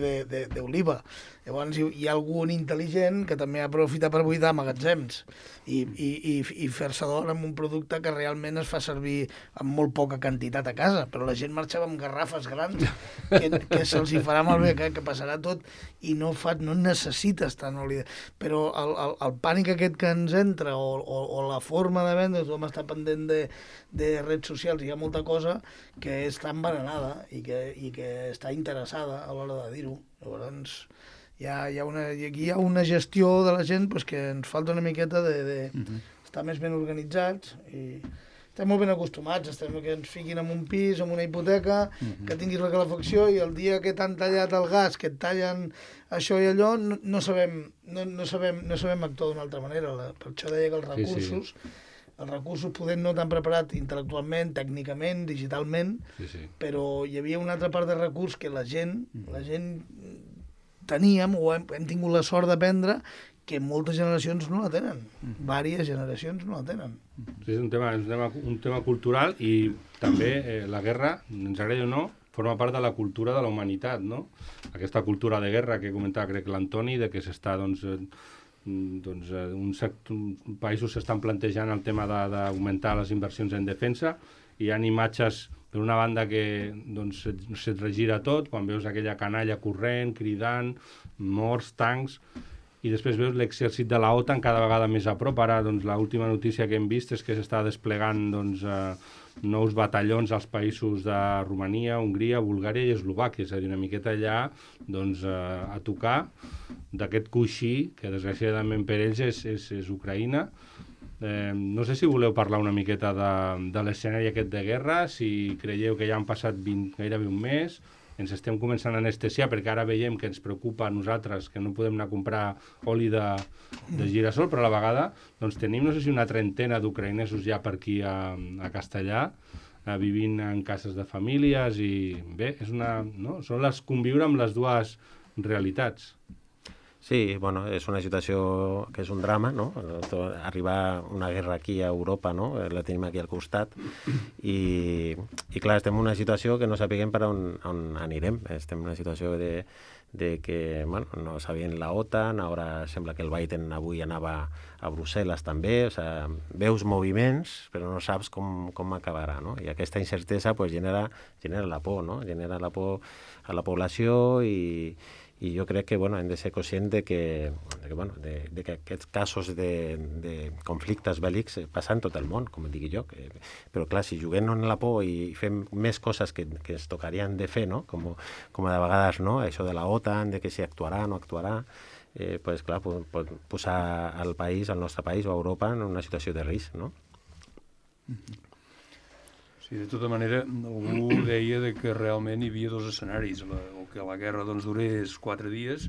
d'oliva. Llavors hi, hi ha algun intel·ligent que també aprofita per buidar magatzems i, i, i, i fer-se d'or amb un producte que realment es fa servir amb molt poca quantitat a casa, però la gent marxava amb garrafes grans que, que se'ls hi farà malbé, que, que passarà tot i no, fa, no necessites tant oli. Però el, el, el pànic aquest que ens entra o, o, o la forma de vendre, tothom està pendent de, de redes socials, hi ha molta cosa que està envenenada i que, i que està interessada a l'hora de dir-ho. Llavors hi ha, hi ha una, aquí hi ha una gestió de la gent pues, que ens falta una miqueta de, de uh-huh. estar més ben organitzats i estem molt ben acostumats, estem que ens fiquin en un pis, en una hipoteca, mm-hmm. que tinguis la calefacció i el dia que t'han tallat el gas, que et tallen això i allò, no, no, sabem, no, no, sabem, no sabem actuar d'una altra manera. La, per això deia que els recursos, sí, sí. els recursos podem no tan preparats intel·lectualment, tècnicament, digitalment, sí, sí. però hi havia una altra part de recurs que la gent, mm-hmm. la gent teníem o hem, hem tingut la sort d'aprendre que moltes generacions no la tenen. Mm. Vàries generacions no la tenen.
Sí, és un tema, un tema, un tema cultural i també eh, la guerra, ens agradi o no, forma part de la cultura de la humanitat, no? Aquesta cultura de guerra que comentava, crec, l'Antoni, de que s'està, doncs, eh, doncs eh, un sector, un, països s'estan plantejant el tema d'augmentar les inversions en defensa i hi ha imatges per una banda que doncs, se't regira tot, quan veus aquella canalla corrent, cridant, morts, tancs, i després veus l'exèrcit de la OTAN cada vegada més a prop. Ara, doncs, l'última notícia que hem vist és que s'està desplegant doncs, eh, nous batallons als països de Romania, Hongria, Bulgària i Eslovàquia, és a dir, una miqueta allà doncs, eh, a tocar d'aquest coixí, que desgraciadament per ells és, és, és Ucraïna. Eh, no sé si voleu parlar una miqueta de, de l'escenari aquest de guerra, si creieu que ja han passat vint, gairebé un mes, ens estem començant a anestesiar perquè ara veiem que ens preocupa a nosaltres que no podem anar a comprar oli de, de girassol, però a la vegada doncs, tenim, no sé si una trentena d'ucraïnesos ja per aquí a, a Castellà, eh, vivint en cases de famílies i bé, és una, no? Són les conviure amb les dues realitats.
Sí, bueno, és una situació que és un drama, no? Arribar una guerra aquí a Europa, no? La tenim aquí al costat i, i clar, estem en una situació que no sapiguem per on, on anirem. Estem en una situació de, de que, bueno, no sabien la OTAN, ara sembla que el Biden avui anava a Brussel·les també, o sigui, veus moviments però no saps com, com acabarà, no? I aquesta incertesa pues, genera, genera la por, no? Genera la por a la població i i jo crec que bueno, hem de ser conscients de que, de que, bueno, de, de que aquests casos de, de conflictes bèl·lics passen tot el món, com digui jo. Que, però clar, si juguem en la por i fem més coses que, que es tocarien de fer, no? com, com de vegades no? Això de la OTAN, de que si actuarà o no actuarà, eh, pues, clar, pot, pot posar el país, el nostre país o Europa en una situació de risc. No?
Sí, de tota manera, algú deia de que realment hi havia dos escenaris, la, o que la guerra doncs, durés quatre dies,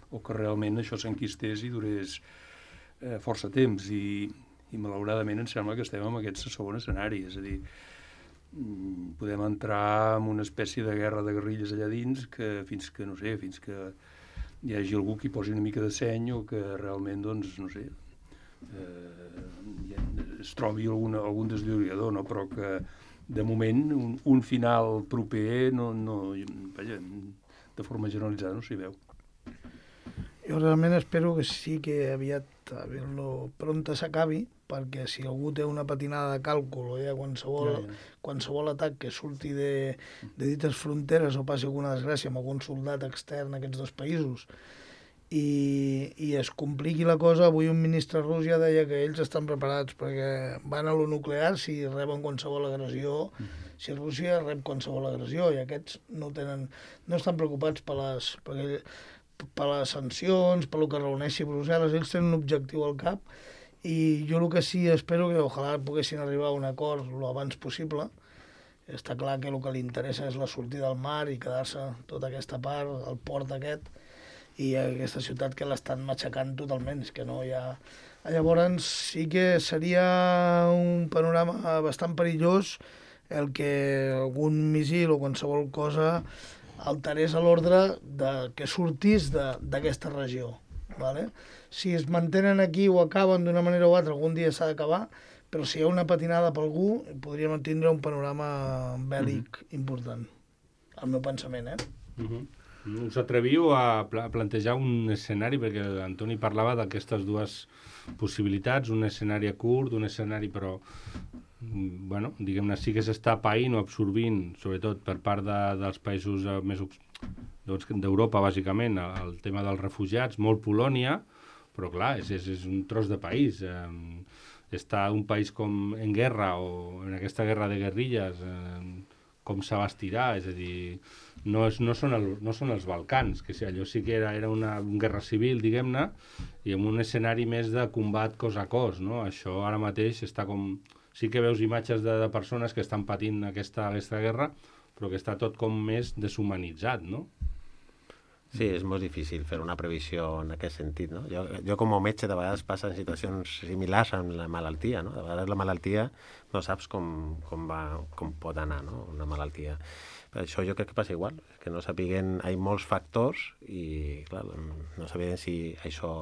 o que realment això s'enquistés i durés eh, força temps, i, i malauradament em sembla que estem en aquest segon escenari, és a dir, podem entrar en una espècie de guerra de guerrilles allà dins, que fins que, no sé, fins que hi hagi algú que hi posi una mica de seny, o que realment, doncs, no sé, eh, es trobi alguna, algun deslloriador, no? Però que de moment, un, un final proper, no, no, vaja, de forma generalitzada no s'hi veu.
Jo realment espero que sí que aviat lo pronta s'acabi, perquè si algú té una patinada de càlcul o hi ha qualsevol, ja, ja. qualsevol atac que surti de, de dites fronteres o passi alguna desgràcia amb algun soldat extern a aquests dos països i, i es compliqui la cosa. Avui un ministre rus ja deia que ells estan preparats perquè van a lo nuclear si reben qualsevol agressió, uh-huh. si Rússia rep qualsevol agressió, i aquests no tenen, no estan preocupats per les, per, per les sancions, per lo que reuneixi Brussel·les. Ells tenen un objectiu al cap i jo el que sí espero que ojalà poguessin arribar a un acord lo abans possible. Està clar que el que li interessa és la sortida al mar i quedar-se tota aquesta part, el port aquest, i aquesta ciutat que l'estan matxacant totalment, és que no hi ha... Llavors sí que seria un panorama bastant perillós el que algun missil o qualsevol cosa alterés l'ordre que sortís d'aquesta regió. ¿Vale? Si es mantenen aquí o acaben d'una manera o altra, algun dia s'ha d'acabar, però si hi ha una patinada per algú, podríem tindre un panorama bèl·lic mm-hmm. important. El meu pensament, eh?
Mm-hmm. Us atreviu a pla plantejar un escenari, perquè l'Antoni parlava d'aquestes dues possibilitats, un escenari a curt, un escenari però, bueno, diguem-ne, sí que s'està païnt o absorbint, sobretot per part de, dels països més doncs, d'Europa, bàsicament, el tema dels refugiats, molt Polònia, però clar, és, és, és un tros de país. Eh, està un país com en guerra o en aquesta guerra de guerrilles, eh, com s'abastirà, és a dir... No, és, no, són el, no són els Balcans, que sí, allò sí que era, era una, una guerra civil, diguem-ne, i amb un escenari més de combat cos a cos, no? Això ara mateix està com... sí que veus imatges de, de persones que estan patint aquesta, aquesta guerra, però que està tot com més deshumanitzat, no?
Sí, és molt difícil fer una previsió en aquest sentit, no? Jo, jo com a metge de vegades passen situacions similars amb la malaltia, no? De vegades la malaltia no saps com, com, va, com pot anar, no? Una malaltia. Per això jo crec que passa igual, que no sapiguen, hi ha molts factors i, clar, no sabien si això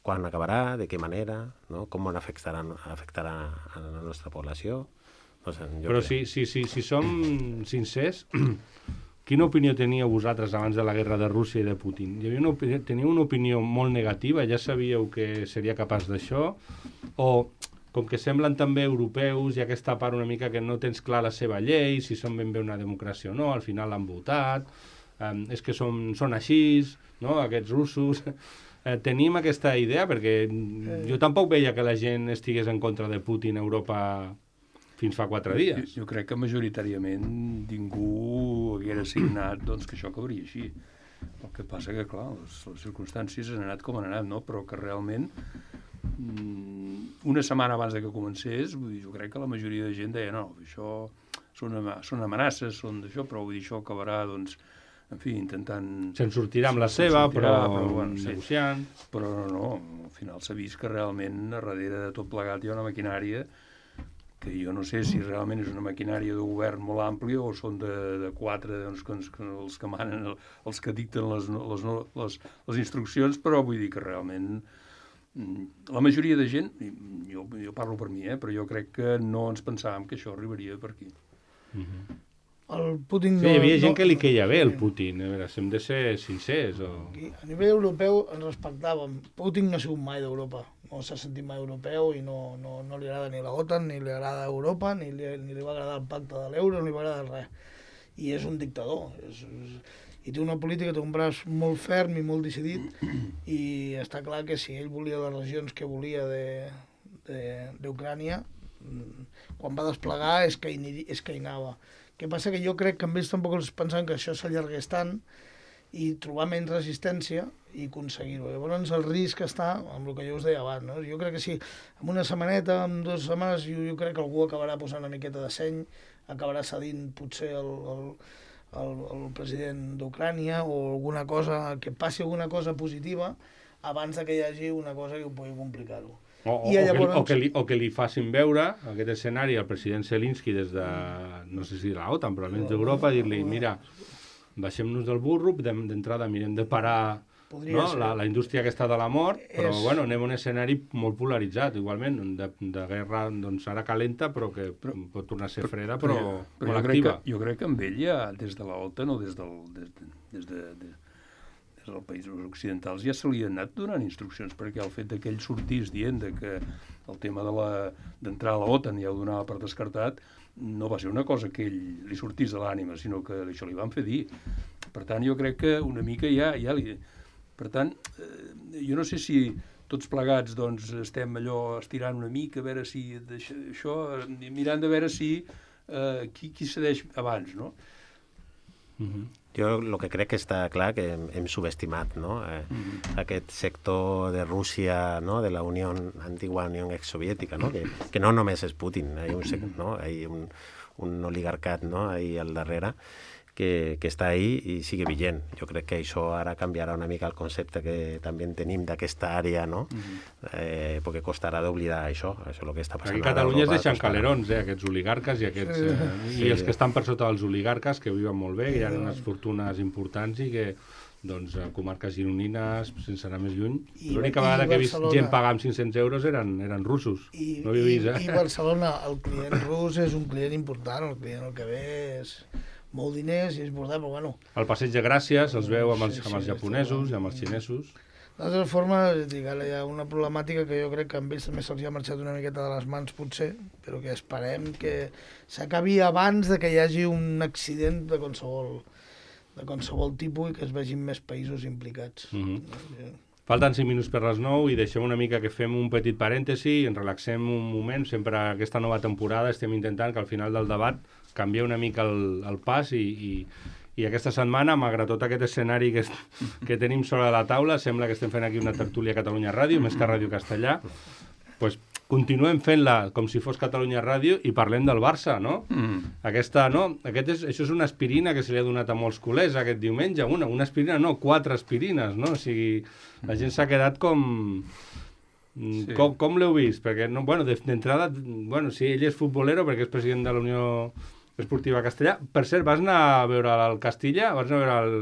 quan acabarà, de què manera, no? Com afectarà, afectarà a la nostra població. No sé, jo
Però
crec.
si, si, si, si som sincers, quina opinió teníeu vosaltres abans de la guerra de Rússia i de Putin? Hi havia una opinió, teniu una opinió molt negativa? Ja sabíeu que seria capaç d'això? O, com que semblen també europeus, hi ha aquesta part una mica que no tens clar la seva llei, si són ben bé una democràcia o no, al final l'han votat, um, és que són, són així, no?, aquests russos. Eh, tenim aquesta idea, perquè jo tampoc veia que la gent estigués en contra de Putin a Europa fins fa quatre dies.
Jo, jo crec que majoritàriament ningú haguera signat doncs, que això acabaria així. El que passa que, clar, les, les circumstàncies han anat com han anat, no? Però que realment una setmana abans de que comencés, vull dir, jo crec que la majoria de gent deia no, això són, són amenaces, són d'això, però vull dir, això acabarà, doncs, en fi, intentant...
Se'n sortirà amb la seva,
sortirà,
però,
però bueno, sí.
negociant...
Però no, no, al final s'ha vist que realment a darrere de tot plegat hi ha una maquinària que jo no sé si realment és una maquinària de govern molt àmplia o són de, de quatre, doncs, que, que els que manen, els que dicten les, les, les, les instruccions, però vull dir que realment la majoria de gent, jo, jo parlo per mi, eh, però jo crec que no ens pensàvem que això arribaria per aquí.
Mm-hmm.
El Putin
sí,
no,
hi havia gent
no,
que li queia bé, el Putin. A veure, si hem de ser sincers. O...
A nivell europeu ens respectàvem. Putin no ha sigut mai d'Europa. No s'ha sentit mai europeu i no, no, no li agrada ni la OTAN, ni li agrada Europa, ni li, ni li va agradar el pacte de l'euro, ni li va agradar res. I és un dictador. És, és, I té una política, té un braç molt ferm i molt decidit i està clar que si ell volia les regions que volia d'Ucrània, quan va desplegar és que, hi, és que hi anava. El que passa que jo crec que amb ells tampoc els pensaven que això s'allargués tant i trobar menys resistència i aconseguir-ho. Llavors el risc està amb el que jo us deia abans, no? Jo crec que si en una setmaneta, en dues setmanes, jo, jo crec que algú acabarà posant una miqueta de seny, acabarà cedint potser el, el, el, el president d'Ucrània o alguna cosa, que passi alguna cosa positiva abans de que hi hagi una cosa que ho pugui complicar-ho.
O, o, llavors... o, que, o, que li, o que li facin veure aquest escenari al president Zelensky des de, no sé si de l'OTAN, però almenys d'Europa, dir-li, mira, baixem-nos del burro, d'entrada mirem de parar no? la, la indústria aquesta de la mort, però és... bueno, anem a un escenari molt polaritzat, igualment, de, de guerra doncs, ara calenta, però que però, pot tornar a ser freda, però, però, però molt activa.
Que, jo crec que amb ell ja, des de l'OTAN o des del... Des de, des de, de... dels països occidentals ja se li han anat donant instruccions, perquè el fet que ell sortís dient de que el tema d'entrar a la OTAN ja ho donava per descartat, no va ser una cosa que ell li sortís de l'ànima, sinó que això li van fer dir. Per tant, jo crec que una mica ja... ja li... Per tant, eh, jo no sé si tots plegats doncs, estem allò estirant una mica, a veure si això, mirant de veure si eh, qui, qui cedeix abans, no?
Mm-hmm. Jo el que crec que està clar que hem, hem subestimat no? eh, mm-hmm. aquest sector de Rússia, no? De la Unió, antigua Unió exsoviètica, no? Que, que no només és Putin, hi ha un, no? Hi ha un, un oligarcat no? Ahí al darrere que, que està ahí i sigue vigent. Jo crec que això ara canviarà una mica el concepte que també tenim d'aquesta àrea, no? Mm-hmm. eh, perquè costarà d'oblidar això, això és el que està passant.
Aquí a Catalunya es deixen calerons, eh, aquests oligarques i aquests... Eh, sí, i els que estan per sota dels oligarques, que viuen molt bé, que hi ha unes fortunes importants i que doncs, comarques gironines, sense anar més lluny. L'única vegada que he vist gent pagar amb cinc-cents euros eren, eren russos.
I,
no havia vist, eh?
I Barcelona, el client rus és un client important, el client el que ve és molt diners i és important, però bueno...
El passeig de Gràcies els veu amb els, amb els japonesos i amb els xinesos.
De totes formes, dic, ara hi ha una problemàtica que jo crec que amb ells també se'ls ha marxat una miqueta de les mans, potser, però que esperem que s'acabi abans de que hi hagi un accident de qualsevol, de qualsevol tipus i que es vegin més països implicats.
Mm-hmm. Falten cinc minuts per les nou i deixem una mica que fem un petit parèntesi i ens relaxem un moment. Sempre aquesta nova temporada estem intentant que al final del debat canviar una mica el, el pas i, i, i aquesta setmana, malgrat tot aquest escenari que, que tenim sobre la taula, sembla que estem fent aquí una tertúlia a Catalunya Ràdio, més que Ràdio Castellà, pues, continuem fent-la com si fos Catalunya Ràdio i parlem del Barça, no?
Mm.
Aquesta, no? Aquest és, això és una aspirina que se li ha donat a molts culers aquest diumenge. Una, una aspirina, no, quatre aspirines, no? O sigui, la gent s'ha quedat com... Sí. Com, com l'heu vist? Perquè, no, bueno, d'entrada, bueno, sí, ell és futbolero perquè és president de la Unió Esportiva Castellà. Per cert, vas anar a veure el Castilla? Vas anar a veure el,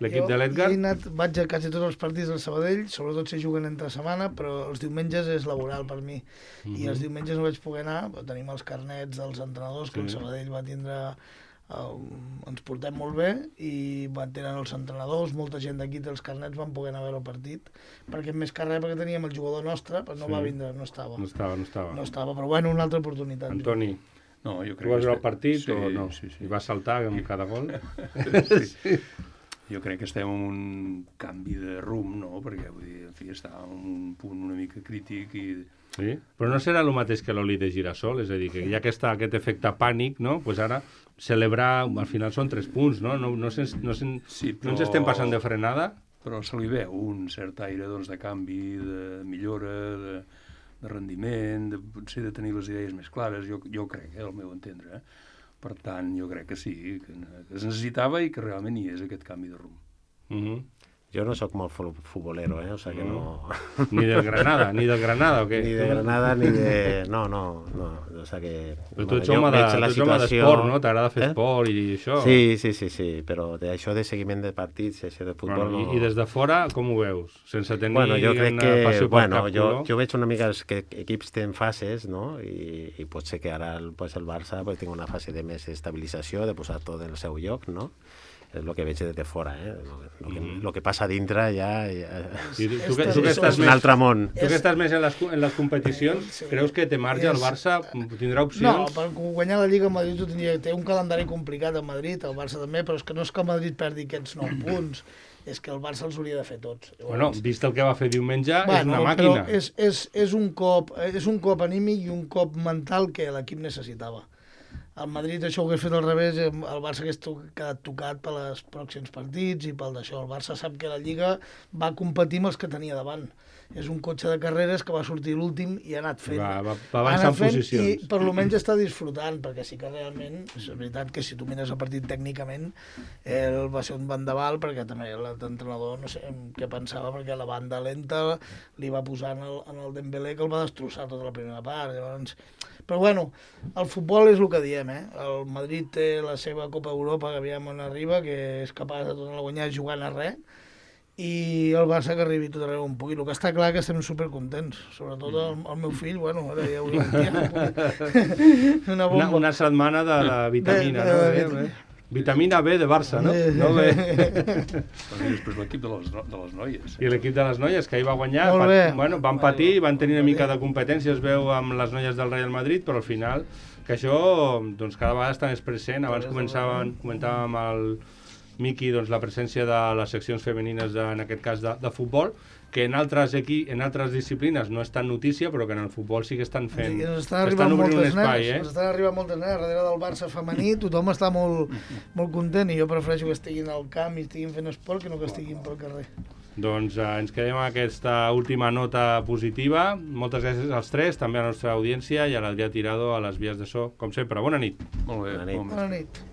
l'equip de l'Edgar?
Jo he anat, vaig a quasi tots els partits del Sabadell, sobretot si juguen entre setmana, però els diumenges és laboral per mi. Mm-hmm. I els diumenges no vaig poder anar, però tenim els carnets dels entrenadors, que sí. El Sabadell va tindre... Uh, ens portem molt bé i van tenir els entrenadors, molta gent d'aquí dels carnets van poder anar a veure el partit, perquè més que res perquè teníem el jugador nostre, però no sí. va vindre, no estava.
No estava, no estava.
No estava, però bueno, una altra oportunitat.
Antoni,
no, jo crec
tu vas veure
que
el partit
sí,
o no?
Sí, sí.
I vas saltar amb cada gol?
sí. sí. Jo crec que estem en un canvi de rumb, no? Perquè, vull dir, en fi, està en un punt una mica crític i...
Sí? Però no serà el mateix que l'oli de girassol? És a dir, que hi ha aquesta, aquest efecte pànic, no? Pues ara, celebrar, al final són tres punts, no? No, no, sens, no, sen, sí, però... no ens estem passant de frenada?
Però se li veu un cert aire doncs, de canvi, de millora, de, de rendiment, de, potser de tenir les idees més clares, jo, jo crec, eh, al meu entendre. Eh? Per tant, jo crec que sí, que, que es necessitava i que realment hi és aquest canvi de rumb.
Mhm.
Jo no sóc molt futbolero, eh? O sigui que no...
Ni del Granada, ni del Granada, o què?
Ni de Granada, ni de... No, no, no. O sigui que...
Però tu ets home d'esport, no? T'agrada fer eh? esport i això.
Sí, sí, sí, sí, però d'això de seguiment de partits, això de futbol...
Bueno,
no...
I, I des de fora, com ho veus? Sense tenir
bueno, jo crec que,
passió per
bueno,
cap
jo,
color?
jo veig una mica que equips tenen fases, no? I, i pot ser que ara el, pues, el Barça pues, tingui una fase de més estabilització, de posar tot en el seu lloc, no? És el que veig des de fora, eh? El que, mm. que passa a dintre ja... ja...
I tu, tu, que, tu que estàs
és un
més,
altre món.
Tu que estàs més en les, en les competicions, sí. creus que té marge el Barça? Tindrà opcions?
No, per guanyar la Lliga Madrid tindria, té un calendari complicat a Madrid, el Barça també, però és que no és que el Madrid perdi aquests nou punts, és que el Barça els hauria de fer tots. Llavors,
bueno, vist el que va fer diumenge,
bueno,
és una màquina.
Però és, és, és, un cop, és un cop anímic i un cop mental que l'equip necessitava. El Madrid això ho hagués fet al revés, el Barça hagués quedat tocat per als pròxims partits i pel d'això. El Barça sap que la Lliga va competir amb els que tenia davant. És un cotxe de carreres que va sortir l'últim i ha anat fent.
Va, va, va avançar en posicions.
I per almenys està disfrutant, perquè sí que realment, és veritat que si tu mires el partit tècnicament, ell va ser un vendaval, perquè també l'entrenador no sé què pensava, perquè la banda lenta li va posar en el, en el Dembélé que el va destrossar tota la primera part. Llavors... Però bueno, el futbol és el que diem, eh? El Madrid té la seva Copa Europa, que aviam on arriba, que és capaç de tornar a guanyar jugant a res, i el Barça que arribi tot arreu on pugui. El que està clar que estem supercontents, sobretot el, el meu fill, bueno, ara ja ho dic, una bomba.
Una, una setmana de la vitamina, de, de, no? De, de, vitamina B de Barça, no? No B.
I després l'equip de, les, de les noies.
I l'equip de les noies, que ahir va guanyar,
pat,
bueno, van patir, van tenir una mica de competència, es veu amb les noies del Real Madrid, però al final, que això doncs, cada vegada està més present. Abans començàvem, comentàvem el Miqui, doncs, la presència de les seccions femenines, de, en aquest cas de, de futbol, que en altres, aquí, en altres disciplines no és tan notícia, però que en el futbol sí que estan fent...
Sí, estan, estan obrint un espai, eh? Ens estan arribant moltes nenes, darrere del Barça femení, tothom està molt, molt content, i jo prefereixo que estiguin al camp i estiguin fent esport que no que estiguin pel carrer.
Doncs eh, ens quedem amb aquesta última nota positiva. Moltes gràcies als tres, també a la nostra audiència, i a l'Adrià Tirado a les vies de so, com sempre. Bona nit.
Molt bé.
Bona nit.
Bona nit.